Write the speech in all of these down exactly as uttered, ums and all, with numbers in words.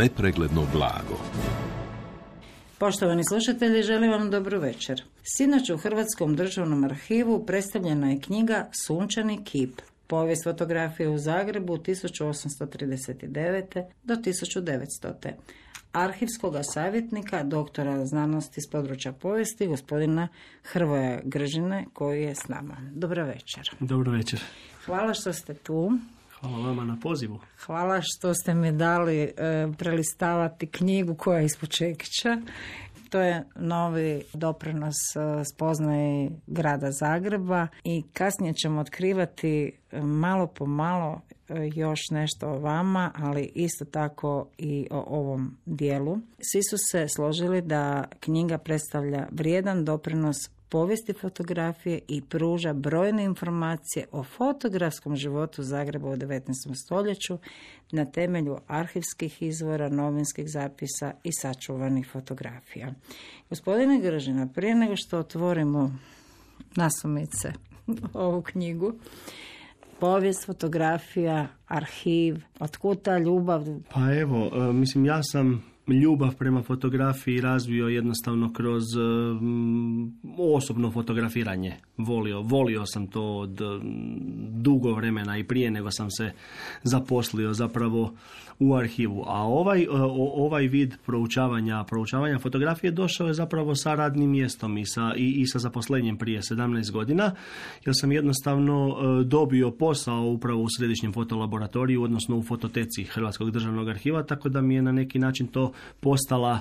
nepregledno blago. Poštovani slušatelji, želim vam dobru večer. Sinoć u Hrvatskom državnom arhivu predstavljena je knjiga Sunčani kip. Povijest fotografije u Zagrebu tisuću osamsto trideset devete do tisuću devetstote. Arhivskog savjetnika, doktora znanosti s područja povijesti, gospodina Hrvoja Gržine, koji je s nama. Dobro večer. Dobro večer. Hvala što ste tu. Hvala vama na pozivu. Hvala što ste mi dali e, prelistavati knjigu koja je ispod čekića. To je novi doprinos spoznaji grada Zagreba i kasnije ćemo otkrivati malo po malo još nešto o vama, ali isto tako i o ovom dijelu. Svi su se složili da knjiga predstavlja vrijedan doprinos povijesti fotografije i pruža brojne informacije o fotografskom životu Zagreba u devetnaestom stoljeću na temelju arhivskih izvora, novinskih zapisa i sačuvanih fotografija. Gospodine Gržina, prije nego što otvorimo nasumice ovu knjigu, povijest, fotografija, arhiv, otkud ta ljubav? Pa evo, mislim, ja sam ljubav prema fotografiji razvio jednostavno kroz um, osobno fotografiranje. Volio, volio sam to od dugo vremena i prije nego sam se zaposlio zapravo u arhivu. A ovaj, o, ovaj vid proučavanja, proučavanja fotografije došao je zapravo sa radnim mjestom i sa, i, i sa zaposlenjem prije sedamnaest godina, jer sam jednostavno dobio posao upravo u Središnjem fotolaboratoriju, odnosno u fototeci Hrvatskog državnog arhiva, tako da mi je na neki način to postala,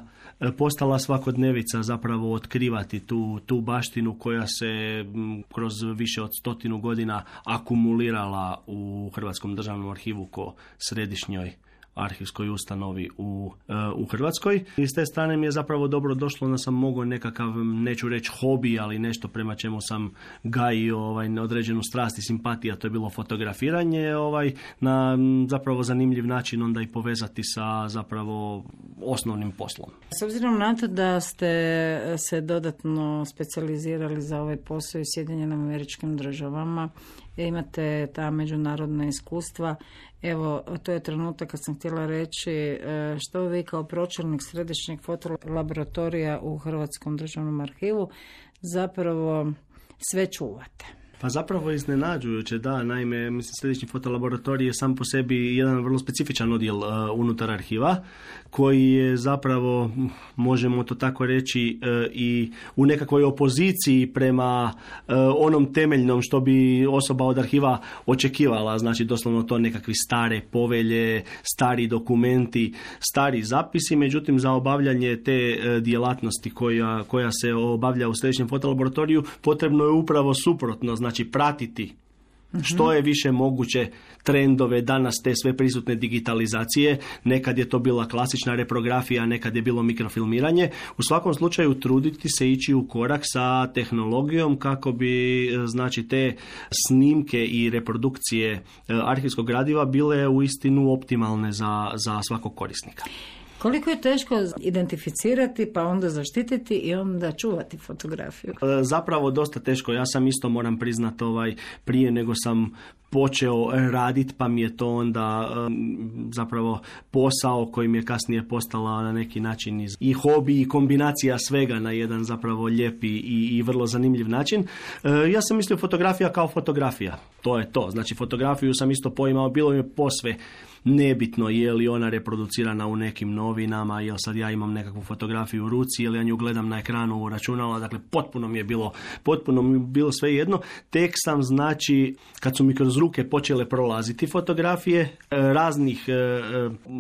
postala svakodnevica zapravo otkrivati tu, tu baštinu koja se kroz više od stotinu godina akumulirala u Hrvatskom državnom arhivu ko središnjoj arhivskoj ustanovi u, u Hrvatskoj. I s te strane mi je zapravo dobro došlo da sam mogao nekakav, neću reći hobi, ali nešto prema čemu sam gajio ovaj, određenu strast i simpatiju, a to je bilo fotografiranje, ovaj, na zapravo zanimljiv način onda i povezati sa zapravo osnovnim poslom. S obzirom na to da ste se dodatno specijalizirali za ovaj posao u Sjedinjenim Američkim Državama, imate ta međunarodna iskustva. Evo, to je trenutak kad sam htjela reći što vi kao pročelnik Središnjeg fotolaboratorija u Hrvatskom državnom arhivu zapravo sve čuvate. Pa zapravo iznenađujuće, da, naime, mislim, Središnji fotolaboratorij je sam po sebi jedan vrlo specifičan odjel uh, unutar arhiva, koji je zapravo, možemo to tako reći, uh, i u nekakvoj opoziciji prema uh, onom temeljnom što bi osoba od arhiva očekivala, znači doslovno to nekakvi stare povelje, stari dokumenti, stari zapisi, međutim za obavljanje te uh, djelatnosti koja, koja se obavlja u Središnjem fotolaboratoriju potrebno je upravo suprotno, znači Znači pratiti što je više moguće trendove danas te sve prisutne digitalizacije. Nekad je to bila klasična reprografija, nekad je bilo mikrofilmiranje. U svakom slučaju truditi se ići u korak sa tehnologijom kako bi znači te snimke i reprodukcije arhivskog gradiva bile uistinu optimalne za, za svakog korisnika. Koliko je teško identificirati, pa onda zaštititi i onda čuvati fotografiju? Zapravo dosta teško. Ja sam isto, moram priznati, ovaj, prije nego sam počeo raditi, pa mi je to onda um, zapravo posao koji mi je kasnije postala na neki način iz, i hobi i kombinacija svega na jedan zapravo lijepi i, i vrlo zanimljiv način. Uh, ja sam mislio fotografija kao fotografija. To je to. Znači fotografiju sam isto poimao, bilo mi je posve nebitno je li ona reproducirana u nekim novinama, jel sad ja imam nekakvu fotografiju u ruci, jel ja nju gledam na ekranu u računala, dakle potpuno mi je bilo, potpuno mi je bilo sve jedno. Tek sam, znači, kad su mi kroz ruke počele prolaziti fotografije raznih,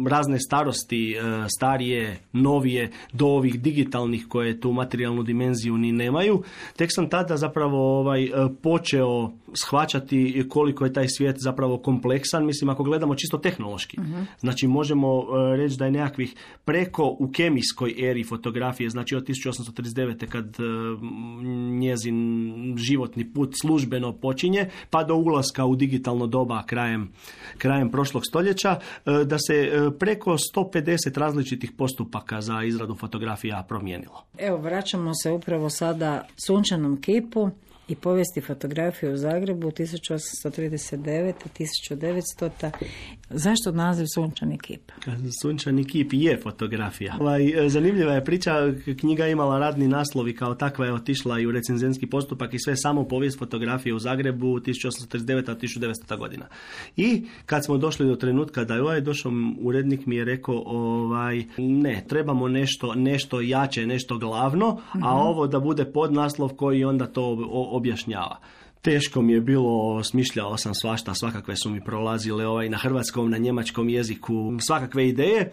razne starosti, starije, novije, do ovih digitalnih koje tu materijalnu dimenziju ni nemaju, tek sam tada zapravo ovaj, počeo shvaćati koliko je taj svijet zapravo kompleksan. Mislim, ako gledamo čisto tehnološki, uh-huh. znači možemo reći da je nekakvih preko u kemijskoj eri fotografije, znači od tisuću osamsto trideset devete kad njezin životni put službeno počinje, pa do ulaska u digitalno doba krajem, krajem prošlog stoljeća, da se preko sto pedeset različitih postupaka za izradu fotografija promijenilo. Evo, vraćamo se upravo sada sunčanom kipu. i povijesti fotografije u Zagrebu tisuću osamsto trideset devete do tisuću devetsto. Zašto naziv Sunčani kip? Sunčani kip je fotografija. Ovaj, zanimljiva je priča, knjiga je imala radni naslov i kao takva je otišla i u recenzentski postupak i sve samo povijest fotografije u Zagrebu tisuću osamsto trideset devete do tisuću devetsto. godina. I kad smo došli do trenutka da je ovaj došao, urednik mi je rekao ovaj, ne, trebamo nešto, nešto jače, nešto glavno, mm-hmm. a ovo da bude podnaslov koji onda to objašnjava. Teško mi je bilo, smišljao sam svašta, svakakve su mi prolazile ovaj, na hrvatskom, na njemačkom jeziku, svakakve ideje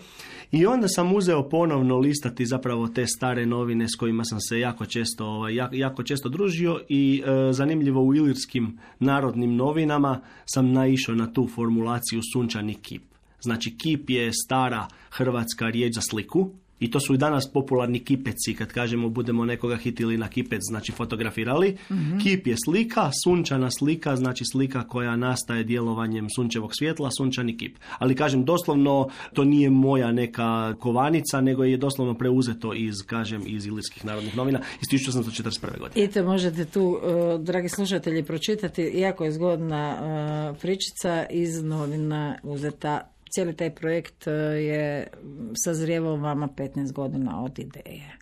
i onda sam uzeo ponovno listati zapravo te stare novine s kojima sam se jako često, ovaj, jako, jako često družio i e, zanimljivo u ilirskim narodnim novinama sam naišao na tu formulaciju Sunčani kip. Znači kip je stara hrvatska riječ za sliku. I to su i danas popularni kipeci, kad kažemo budemo nekoga hitili na kipec, znači fotografirali. Mm-hmm. Kip je slika, sunčana slika, znači slika koja nastaje djelovanjem sunčevog svjetla, sunčani kip. Ali kažem, doslovno to nije moja neka kovanica, nego je doslovno preuzeto iz, kažem, iz ilirskih narodnih novina iz tisuću osamsto četrdeset prve. godine. I to možete tu, uh, dragi slušatelji, pročitati, jako je zgodna uh, pričica iz novina uzeta. Cijeli taj projekt je sazrijevao vama petnaest godina od ideje.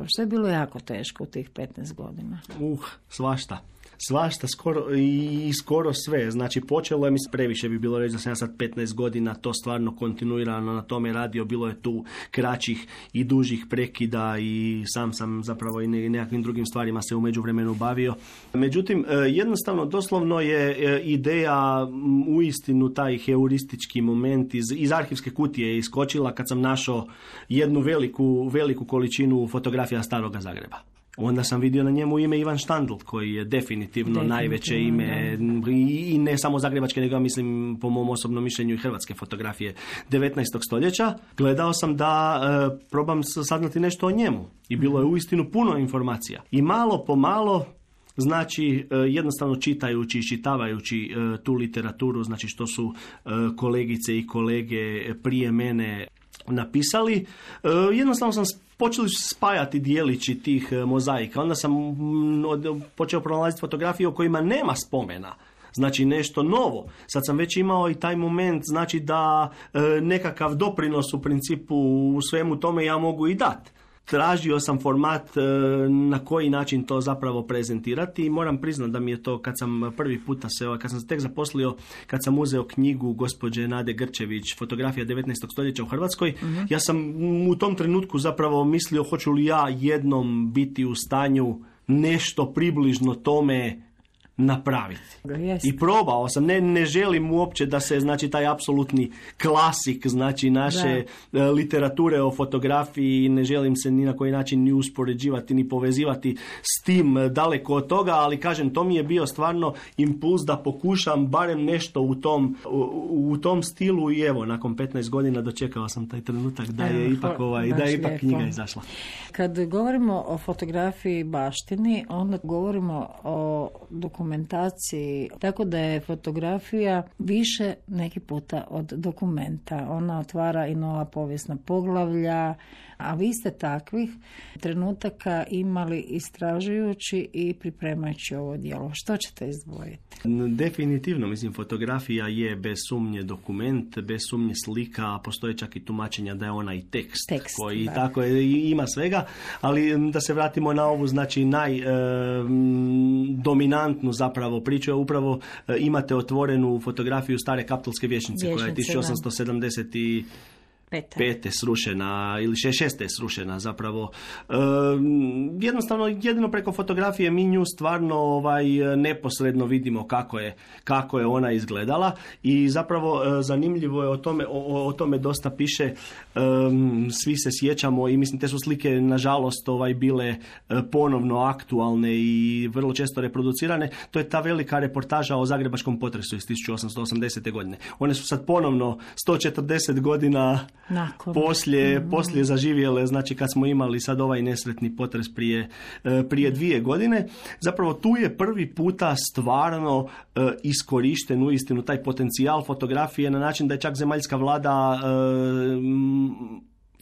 Što je bilo jako teško u tih petnaest godina? Uh, svašta. Svašta, skoro, i skoro sve. Znači, počelo je, mislim, previše bi bilo reći da sam ja sad petnaest godina to stvarno kontinuirano na tome radio. Bilo je tu kraćih i dužih prekida i sam sam zapravo i nekakvim drugim stvarima se u međuvremenu bavio. Međutim, jednostavno, doslovno je ideja uistinu taj heuristički moment iz, iz arhivske kutije iskočila kad sam našao jednu veliku, veliku količinu fotografija Staroga Zagreba. Onda sam vidio na njemu ime Ivan Štandl, koji je definitivno, definitivno najveće ime da. I ne samo zagrebačke, nego mislim po mom osobnom mišljenju i hrvatske fotografije devetnaestog stoljeća. Gledao sam da e, probam saznati nešto o njemu i bilo je uistinu puno informacija. I malo po malo, znači e, jednostavno čitajući i čitavajući e, tu literaturu, znači što su e, kolegice i kolege prije mene napisali, e, jednostavno sam počeli spajati dijelići tih mozaika. Onda sam počeo pronalaziti fotografije o kojima nema spomena. Znači nešto novo. Sad sam već imao i taj moment, znači da e, nekakav doprinos u principu u svemu tome ja mogu i dati. Tražio sam format e, na koji način to zapravo prezentirati i moram priznati da mi je to kad sam prvi puta se, kad sam se tek zaposlio, kad sam uzeo knjigu gospođe Nade Grčević, Fotografija devetnaestog stoljeća u Hrvatskoj, uh-huh. ja sam u tom trenutku zapravo mislio hoću li ja jednom biti u stanju nešto približno tome napraviti. Yes. I probao sam, ne, ne želim uopće da se, znači, taj apsolutni klasik, znači, naše da. literature o fotografiji, ne želim se ni na koji način ni uspoređivati, ni povezivati s tim, daleko od toga, ali kažem, to mi je bio stvarno impuls da pokušam barem nešto u tom, u, u tom stilu i evo, nakon petnaest godina dočekao sam taj trenutak da je evo, ipak, ovaj, da je ipak knjiga izašla. Kad govorimo o fotografiji baštini, onda govorimo o dokumentaciji, tako da je fotografija više neki puta od dokumenta. Ona otvara i nova povijesna poglavlja, a vi ste takvih trenutaka imali istražujući i pripremajući ovo djelo. Što ćete izdvojiti? Definitivno, mislim, fotografija je bez sumnje dokument, bez sumnje slika, a postoje čak i tumačenja da je ona i tekst, tekst koji da. tako je, ima svega, ali da se vratimo na ovu, znači, najdominantnu e, zapravo priču, upravo e, imate otvorenu fotografiju stare Kaptolske vijećnice, Vječnice, koja je tisuću osamsto sedamdeset Pete. pete srušena ili šeste srušena zapravo. E, jednostavno jedino preko fotografije mi nju stvarno ovaj, neposredno vidimo kako je, kako je ona izgledala i zapravo e, zanimljivo je o tome, o, o tome dosta piše, e, svi se sjećamo i mislim te su slike nažalost ovaj, bile e, ponovno aktualne i vrlo često reproducirane. To je ta velika reportaža o zagrebačkom potresu iz tisuću osamsto osamdesete. godine. One su sad ponovno sto četrdeset godina Nakon. Poslije, mm. poslije zaživjele, znači kad smo imali sad ovaj nesretni potres prije, prije dvije godine, zapravo tu je prvi puta stvarno e, iskorišten uistinu taj potencijal fotografije na način da je čak zemaljska vlada e,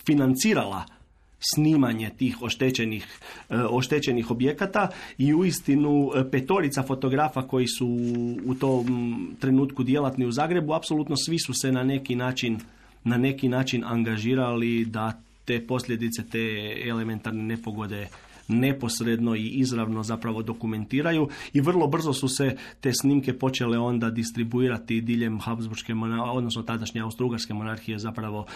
financirala snimanje tih oštećenih, oštećenih objekata i uistinu petorica fotografa koji su u tom trenutku djelatni u Zagrebu, apsolutno svi su se na neki način, na neki način angažirali da te posljedice, te elementarne nepogode neposredno i izravno zapravo dokumentiraju i vrlo brzo su se te snimke počele onda distribuirati diljem Habsburške, odnosno tadašnje Austro-Ugarske monarhije zapravo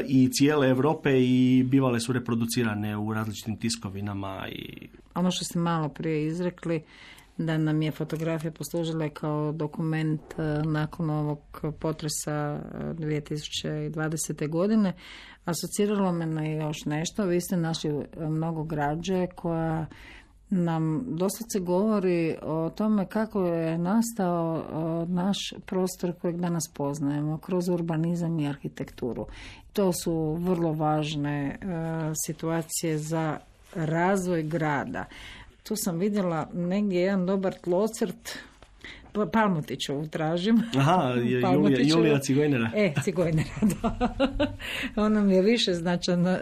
i cijele Europe i bivale su reproducirane u različitim tiskovinama. I... Ono što ste malo prije izrekli, da nam je fotografija poslužila kao dokument nakon ovog potresa dvije tisuće dvadesete. godine, asociralo me na još nešto. Vi ste našli mnogo građe koja nam doslovce govori o tome kako je nastao naš prostor kojeg danas poznajemo kroz urbanizam i arhitekturu. To su vrlo važne situacije za razvoj grada. Tu sam vidjela negdje jedan dobar tlocrt, Palmotićevu tražim. Aha, je Julija, Julija Cigojnera. E, Cigojnera, da. Ona mi je više značajna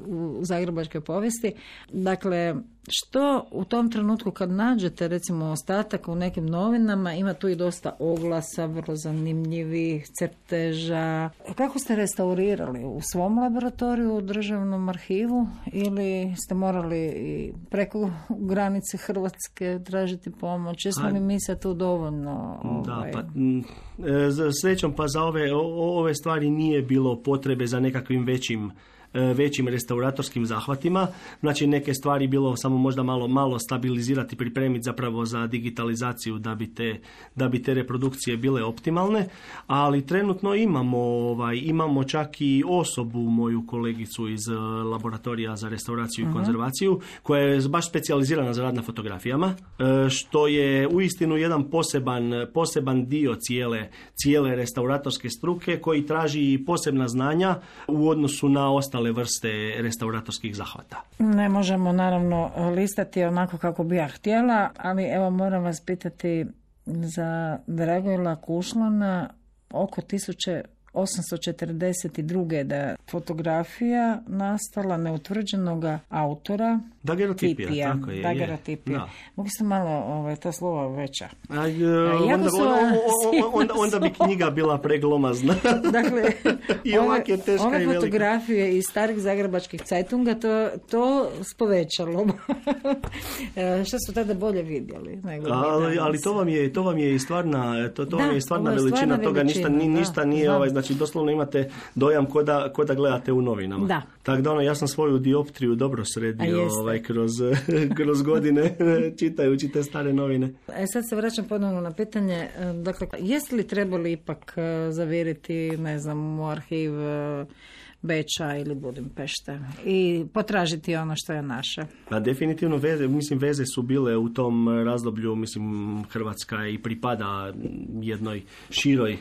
uh, u zagrebačkoj povijesti. Dakle, što u tom trenutku kad nađete recimo ostatak u nekim novinama, ima tu i dosta oglasa, vrlo zanimljivih crteža. Kako ste restaurirali? U svom laboratoriju, u državnom arhivu ili ste morali i preko granice Hrvatske tražiti pomoć? Jesmo li mi se tu dovoljno... Ovaj... Da, pa, za srećom pa za ove, ove stvari nije bilo potrebe za nekakvim većim većim restauratorskim zahvatima. Znači neke stvari bilo samo možda malo malo stabilizirati, pripremiti zapravo za digitalizaciju da bi te, da bi te reprodukcije bile optimalne, ali trenutno imamo ovaj, imamo čak i osobu, moju kolegicu iz laboratorija za restauraciju uh-huh. i konzervaciju, koja je baš specijalizirana za rad na fotografijama, što je uistinu jedan poseban, poseban dio cijele, cijele restauratorske struke koji traži posebna znanja u odnosu na ostale vrste restauratorskih zahvata. Ne možemo naravno listati onako kako bi ja htjela, ali evo moram vas pitati za Dragojla Kušlana oko tisuće osamsto četrdeset druge da je fotografija nastala neutvrđenog autora dagerotipija, tako je. Dagerotipija. Mogu se malo ovaj, ta slova veća. A, onda, su... onda, onda, onda bi knjiga bila preglomazna. Dakle, i ovak je teška ove i velika. Fotografije iz starih zagrebačkih cajtunga to, to spovećalo. Što su tada bolje vidjeli? Nego ali, ali to vam je, to vam je i stvarna, to, to da, vam je i stvarna veličina stvarna toga, veličina, ništa, da, ništa nije, ovaj, znači doslovno imate dojam ko da, ko da gledate u novinama. Da. Tako da ono, ja sam svoju dioptriju dobro sredio ovaj, kroz, kroz godine čitajući te stare novine. E sad se vraćam ponovno na pitanje, dakle, jeste li trebali ipak zavjeriti, ne znam, u arhiv Beča ili Budimpešte i potražiti ono što je naše? Pa definitivno veze, mislim veze su bile u tom razdoblju, mislim Hrvatska i pripada jednoj široj,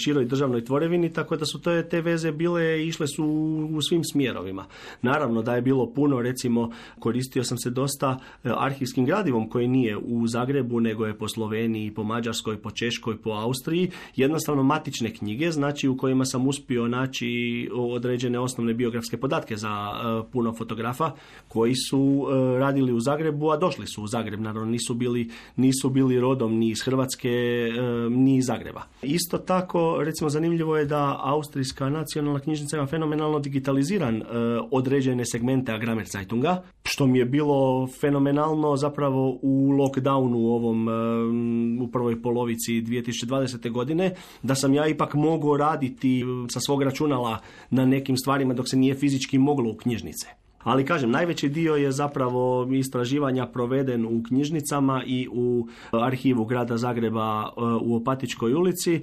široj državnoj tvorevini, tako da su te, te veze bile, išle su u svim smjerovima. Naravno da je bilo puno, recimo koristio sam se dosta arhivskim gradivom koji nije u Zagrebu, nego je po Sloveniji, po Mađarskoj, po Češkoj, po Austriji, jednostavno matične knjige, znači u kojima sam uspio naći određene osnovne biografske podatke za uh, puno fotografa koji su uh, radili u Zagrebu, a došli su u Zagreb, naravno nisu bili, nisu bili rodom ni iz Hrvatske, uh, ni iz Zagreba. Isto tako, recimo, zanimljivo je da Austrijska nacionalna knjižnica ima fenomenalno digitaliziran uh, određene segmente Agramerzeitunga, što mi je bilo fenomenalno zapravo u lockdownu ovom uh, u prvoj polovici dvije tisuće dvadesete. godine, da sam ja ipak mogao raditi sa svog računala na nekim stvarima dok se nije fizički moglo u knjižnice. Ali kažem, najveći dio je zapravo istraživanja proveden u knjižnicama i u arhivu grada Zagreba u Opatičkoj ulici.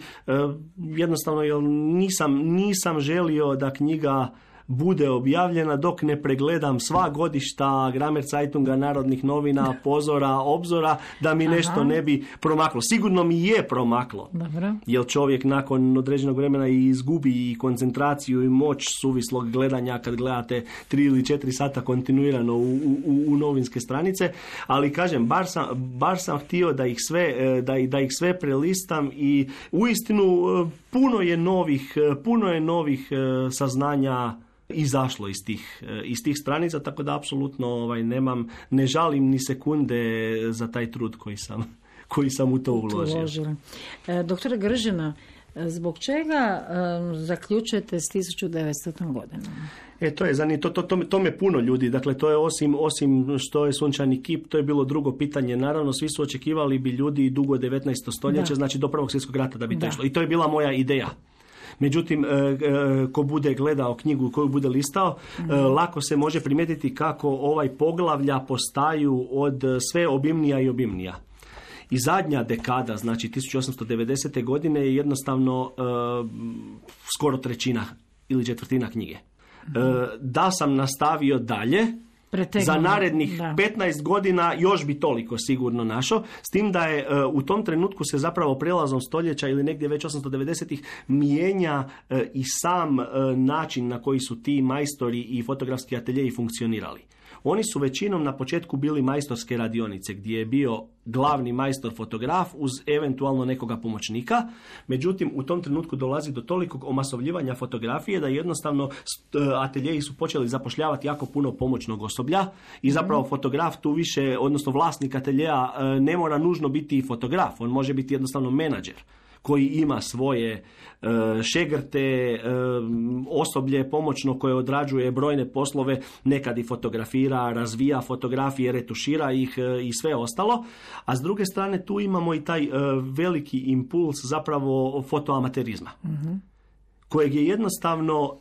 Jednostavno jer nisam, nisam želio da knjiga bude objavljena dok ne pregledam sva godišta Agramerzeitunga, Narodnih novina, Pozora, Obzora, da mi nešto Aha. ne bi promaklo. Sigurno mi je promaklo. Dobro. Jer čovjek nakon određenog vremena izgubi i koncentraciju i moć suvislog gledanja kad gledate tri ili četiri sata kontinuirano u, u, u novinske stranice. Ali kažem, bar sam, bar sam htio da ih sve, da, da ih sve prelistam i uistinu puno je novih, puno je novih saznanja izašlo iz tih, iz tih stranica, tako da apsolutno ovaj, nemam, ne žalim ni sekunde za taj trud koji sam, koji sam u to uložio. E, doktore Gržina, zbog čega um, zaključujete s tisuću devetstotom godinom? E, to je zanimljivo, to, to, to, to me puno ljudi, dakle to je osim, osim što je sunčani kip, to je bilo drugo pitanje, naravno svi su očekivali bi ljudi dugo devetnaesto stoljeće, da. Znači do prvog svjetskog rata da bi to išlo. I to je bila moja ideja. Međutim, ko bude gledao knjigu, koju bude listao, mm. lako se može primijetiti kako ovaj poglavlja postaju od sve obimnija i obimnija. I zadnja dekada, znači tisuću osamsto devedesete. godine je jednostavno uh, skoro trećina ili četvrtina knjige. Mm. Uh, da sam nastavio dalje, Pretegno. za narednih da. petnaest godina još bi toliko sigurno našao, s tim da je uh, u tom trenutku se zapravo prelazom stoljeća ili negdje već osamsto devedesetih mijenja uh, i sam uh, način na koji su ti majstori i fotografski ateljeji funkcionirali. Oni su većinom na početku bili majstorske radionice gdje je bio glavni majstor fotograf uz eventualno nekoga pomoćnika. Međutim, u tom trenutku dolazi do tolikog omasovljivanja fotografije da jednostavno ateljeji su počeli zapošljavati jako puno pomoćnog osoblja i zapravo fotograf tu više, odnosno vlasnik ateljeja ne mora nužno biti fotograf, on može biti jednostavno menadžer koji ima svoje uh, šegrte, uh, osoblje pomoćno koje odrađuje brojne poslove, nekad i fotografira, razvija fotografije, retušira ih uh, i sve ostalo. A s druge strane tu imamo i taj uh, veliki impuls zapravo fotoamaterizma, mm-hmm. kojeg je jednostavno uh,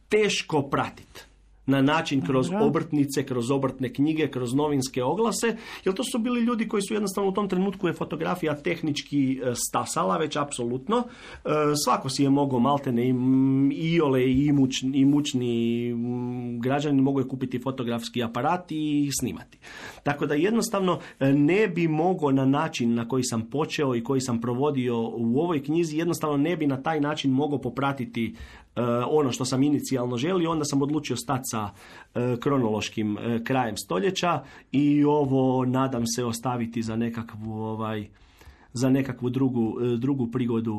teško pratiti na način kroz obrtnice, kroz obrtne knjige, kroz novinske oglase, jer to su bili ljudi koji su jednostavno u tom trenutku je fotografija tehnički stasala, već apsolutno. Svako si je mogao maltene i iole i imućni, imućni građani mogu je kupiti fotografski aparat i snimati. Tako da jednostavno ne bi mogao na način na koji sam počeo i koji sam provodio u ovoj knjizi, jednostavno ne bi na taj način mogao popratiti Uh, ono što sam inicijalno želio, onda sam odlučio stati sa uh, kronološkim uh, krajem stoljeća i ovo nadam se ostaviti za nekakvu ovaj za nekakvu drugu uh, drugu prigodu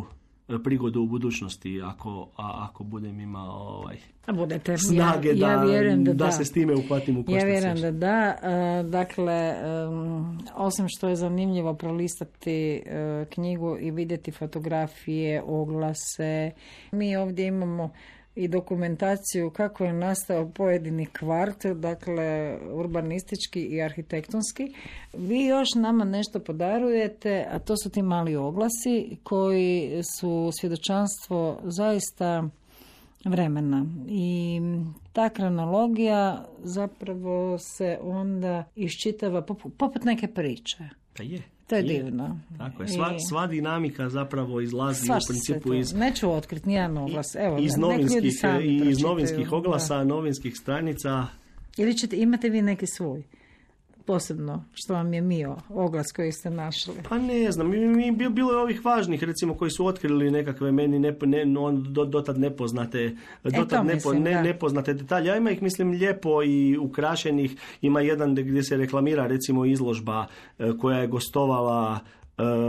uh, prigodu u budućnosti ako a, ako budem imao ovaj a budete snage ja, ja da, vjerujem da, da da se s time uhvatim u koštac. Ja vjerujem da da. Uh, dakle, um, osim što je zanimljivo prolistati uh, knjigu i vidjeti fotografije, oglase, mi ovdje imamo i dokumentaciju kako je nastao pojedini kvart, dakle urbanistički i arhitektonski. Vi još nama nešto podarujete, a to su ti mali oglasi koji su svjedočanstvo zaista vremena. I ta kronologija zapravo se onda iščitava poput, poput neke priče. Pa je. To je, je divno. Tako je. Sva, sva dinamika zapravo izlazi Sva u principu iz... Neću otkriti nijedan oglas. Evo, iz novinskih, iz novinskih oglasa, da. Novinskih stranica. Ili ćete, imate vi neki svoj? Posebno, što vam je mio oglas koji ste našli? Pa ne znam, mi, mi, bilo je ovih važnih, recimo, koji su otkrili nekakve meni ne, ne, do, dotad nepoznate, dotad e, nepo, mislim, ne, nepoznate detalje. Ja ima ih, mislim, lijepo i ukrašenih. Ima jedan gdje se reklamira, recimo, izložba koja je gostovala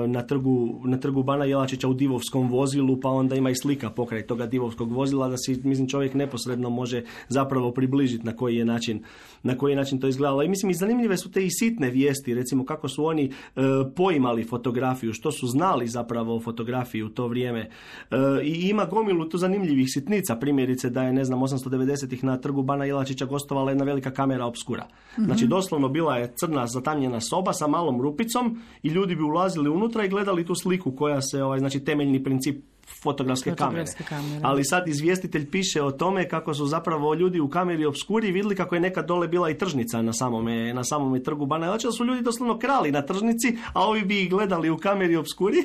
na trgu, na trgu Bana Jelačića u divovskom vozilu, pa onda ima i slika pokraj toga divovskog vozila da si, mislim, čovjek neposredno može zapravo približiti na koji je način, na koji je način to izgledalo. I mislim, i zanimljive su te i sitne vijesti, recimo kako su oni e, poimali fotografiju, što su znali zapravo o fotografiji u to vrijeme. E, I ima gomilu tu zanimljivih sitnica, primjerice da je, ne znam, osamsto devedesetih na trgu Bana Jelačića gostovala jedna velika kamera obskura. Mm-hmm. Znači, doslovno bila je crna zatamnjena soba sa malom rupicom i ljudi bi ulazili unutra i gledali tu sliku koja se, ovaj, znači temeljni princip fotografske, fotografske kamere. kamere. Ali sad izvjestitelj piše o tome kako su zapravo ljudi u kameri obskuri vidjeli kako je nekad dole bila i tržnica na samome, na samome trgu Bana Jelačića, da su ljudi doslovno krali na tržnici, a ovi bi ih gledali u kameri obskuri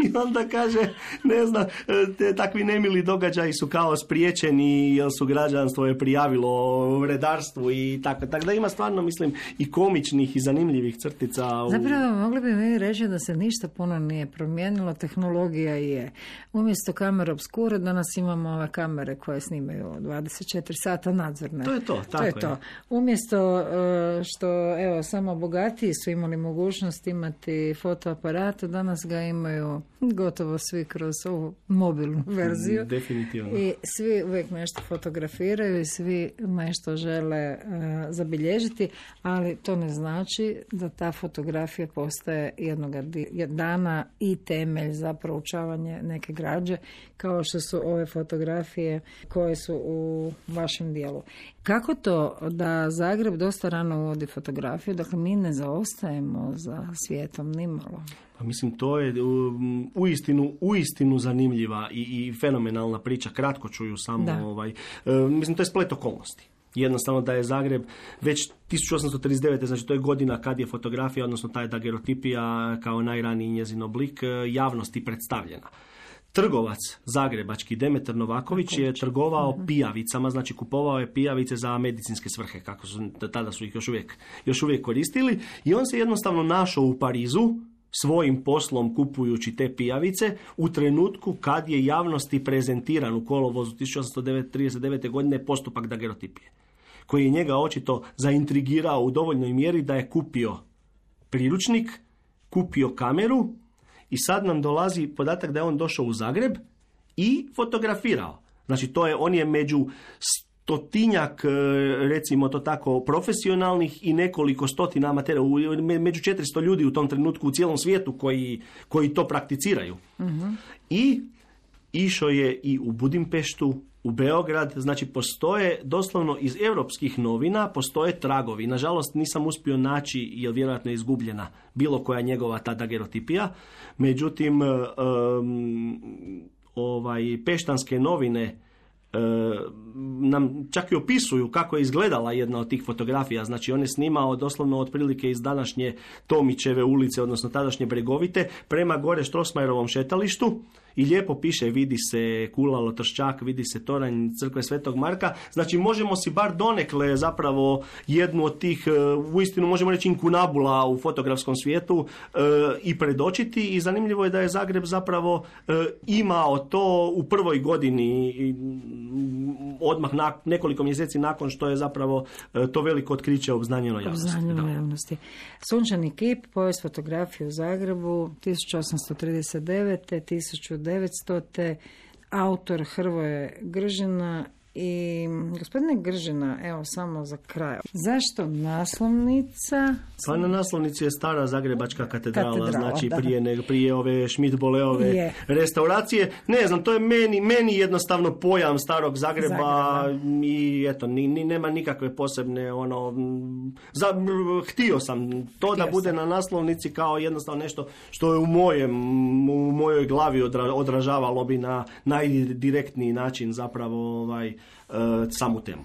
i onda kaže, ne znam, te, takvi nemili događaji su kao spriječeni jer su građanstvo je prijavilo redarstvu i tako. Tako da ima stvarno, mislim, i komičnih i zanimljivih crtica. U... Zapravo mogli bi mi reći da se ništa puno nije promijenilo, tehnologija je. umjesto kamera obskure danas imamo ove kamere koje snimaju dvadeset četiri sata nadzorne. To je to, tako to je. je. To. Umjesto što evo samo bogatiji su imali mogućnost imati fotoaparat, danas ga imaju gotovo svi kroz ovu mobilnu verziju. Definitivno. I svi uvijek nešto fotografiraju i svi nešto žele uh, zabilježiti, ali to ne znači da ta fotografija postaje jednog dana i temelj za proučavanje neke građe, kao što su ove fotografije koje su u vašem dijelu. Kako to da Zagreb dosta rano uvodi fotografiju, dakle mi ne zaostajemo za svijetom nimalo? Pa mislim, to je uistinu, uistinu zanimljiva i, i fenomenalna priča. Kratko ću ju samo, ovaj, e, mislim, to je splet okolnosti. Jednostavno da je Zagreb već tisuću osamsto trideset devete. znači to je godina kad je fotografija, odnosno ta dagerotipija kao najraniji njezin oblik javnosti predstavljena. Trgovac zagrebački Demetar Novaković je trgovao uh-huh. pijavicama, znači kupovao je pijavice za medicinske svrhe, kako su, tada su ih još uvijek, još uvijek koristili, i on se jednostavno našao u Parizu svojim poslom kupujući te pijavice u trenutku kad je javnosti prezentiran u kolovozu tisuću osamsto trideset devete. godine postupak dagerotipije, koji je njega očito zaintrigirao u dovoljnoj mjeri da je kupio priručnik, kupio kameru, i sad nam dolazi podatak da je on došao u Zagreb i fotografirao. Znači, to je, on je među stotinjak, recimo to tako, profesionalnih i nekoliko stotina amatera, među četiristo ljudi u tom trenutku u cijelom svijetu koji, koji to prakticiraju. Uh-huh. I išao je i u Budimpeštu, u Beograd, znači postoje doslovno iz europskih novina, postoje tragovi. Nažalost nisam uspio naći, jer vjerojatno je izgubljena bilo koja njegova ta dagerotipija. Međutim, um, ovaj, peštanske novine E, nam čak i opisuju kako je izgledala jedna od tih fotografija. Znači on je snimao doslovno otprilike iz današnje Tomićeve ulice, odnosno tadašnje Bregovite, prema gore Strossmayerovom šetalištu, i lijepo piše, vidi se Kula Lotrščak, vidi se toranj crkve Svetog Marka. Znači možemo si bar donekle zapravo jednu od tih, uistinu možemo reći, inkunabula u fotografskom svijetu e, i predočiti, i zanimljivo je da je Zagreb zapravo e, imao to u prvoj godini, i, odmah na, nekoliko mjeseci nakon što je zapravo e, to veliko otkriće obznanjeno javnosti. Obznanjeno javnosti. Sunčani kip, povijest fotografije u Zagrebu, tisuću osamsto trideset devete. tisuću devetsto. Autor Hrvoje Gržina. I gospodine Gržina, evo samo za kraj. Zašto naslovnica? Pa na naslovnici je stara zagrebačka katedrala, katedrala znači da. prije, ne, prije ove Schmidt-Boleove je. restauracije. Ne znam, to je meni, meni jednostavno pojam starog Zagreba, Zagreba. I eto, ni, ni, nema nikakve posebne ono, za, htio sam to htio da bude sam. na naslovnici kao jednostavno nešto što je u mojem, u mojoj glavi odra, odražavalo bi na najdirektniji način zapravo ovaj samu temu.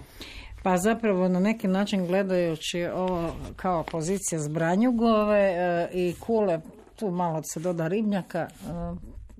Pa zapravo na neki način gledajući ovo kao pozicija Zbranjugove i Kule, tu malo se doda Ribnjaka,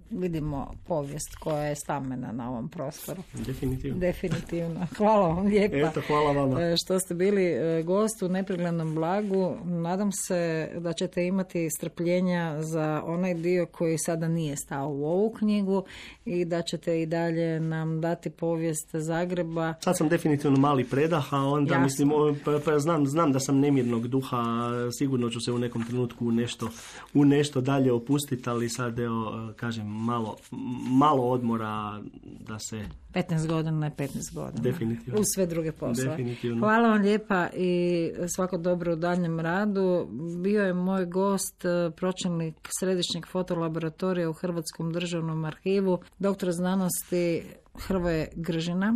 vidimo povijest koja je stamena na ovom prostoru. Definitivno. Definitivno. Hvala vam lijepa. Eto, hvala vama. Što ste bili gost u Nepreglednom blagu. Nadam se da ćete imati strpljenja za onaj dio koji sada nije stao u ovu knjigu i da ćete i dalje nam dati povijest Zagreba. Sad sam definitivno mali predah, a onda Jasno. mislim, pa, pa znam, znam da sam nemirnog duha, sigurno ću se u nekom trenutku u nešto, u nešto dalje opustiti, ali sad evo, kažem, Malo, malo odmora da se... petnaest godina je petnaest godina. Definitivno. Uz sve druge poslove. Definitivno. Hvala vam lijepa i svako dobro u daljem radu. Bio je moj gost, pročelnik Središnjeg fotolaboratorija u Hrvatskom državnom arhivu, doktor znanosti Hrvoje Gržina,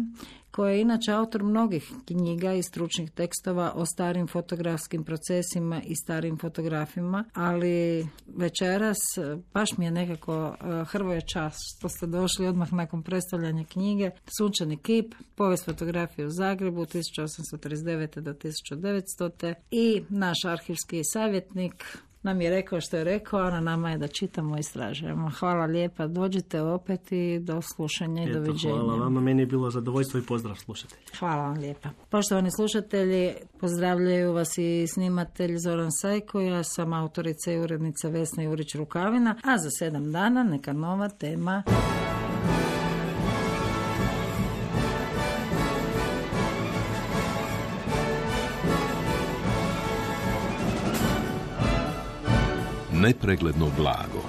koji je inače autor mnogih knjiga i stručnih tekstova o starim fotografskim procesima i starim fotografima, ali večeras baš mi je nekako Hrvoje čast što ste došli odmah nakon predstavljanja knjige Sunčani kip, povijest fotografije u Zagrebu tisuću osamsto trideset devete do tisuću devetsto. i naš arhivski savjetnik nam je rekao što je rekao, a na nama je da čitamo i istražujemo. Hvala lijepa, dođite opet i do slušanja i Eto, doviđenja. Hvala vama, meni je bilo zadovoljstvo i pozdrav slušatelji. Hvala vam lijepa. Poštovani slušatelji, pozdravljaju vas i snimatelj Zoran Sajko, ja sam autorica i urednica Vesna Jurić Rukavina, a za sedam dana neka nova tema. nepregledno blago.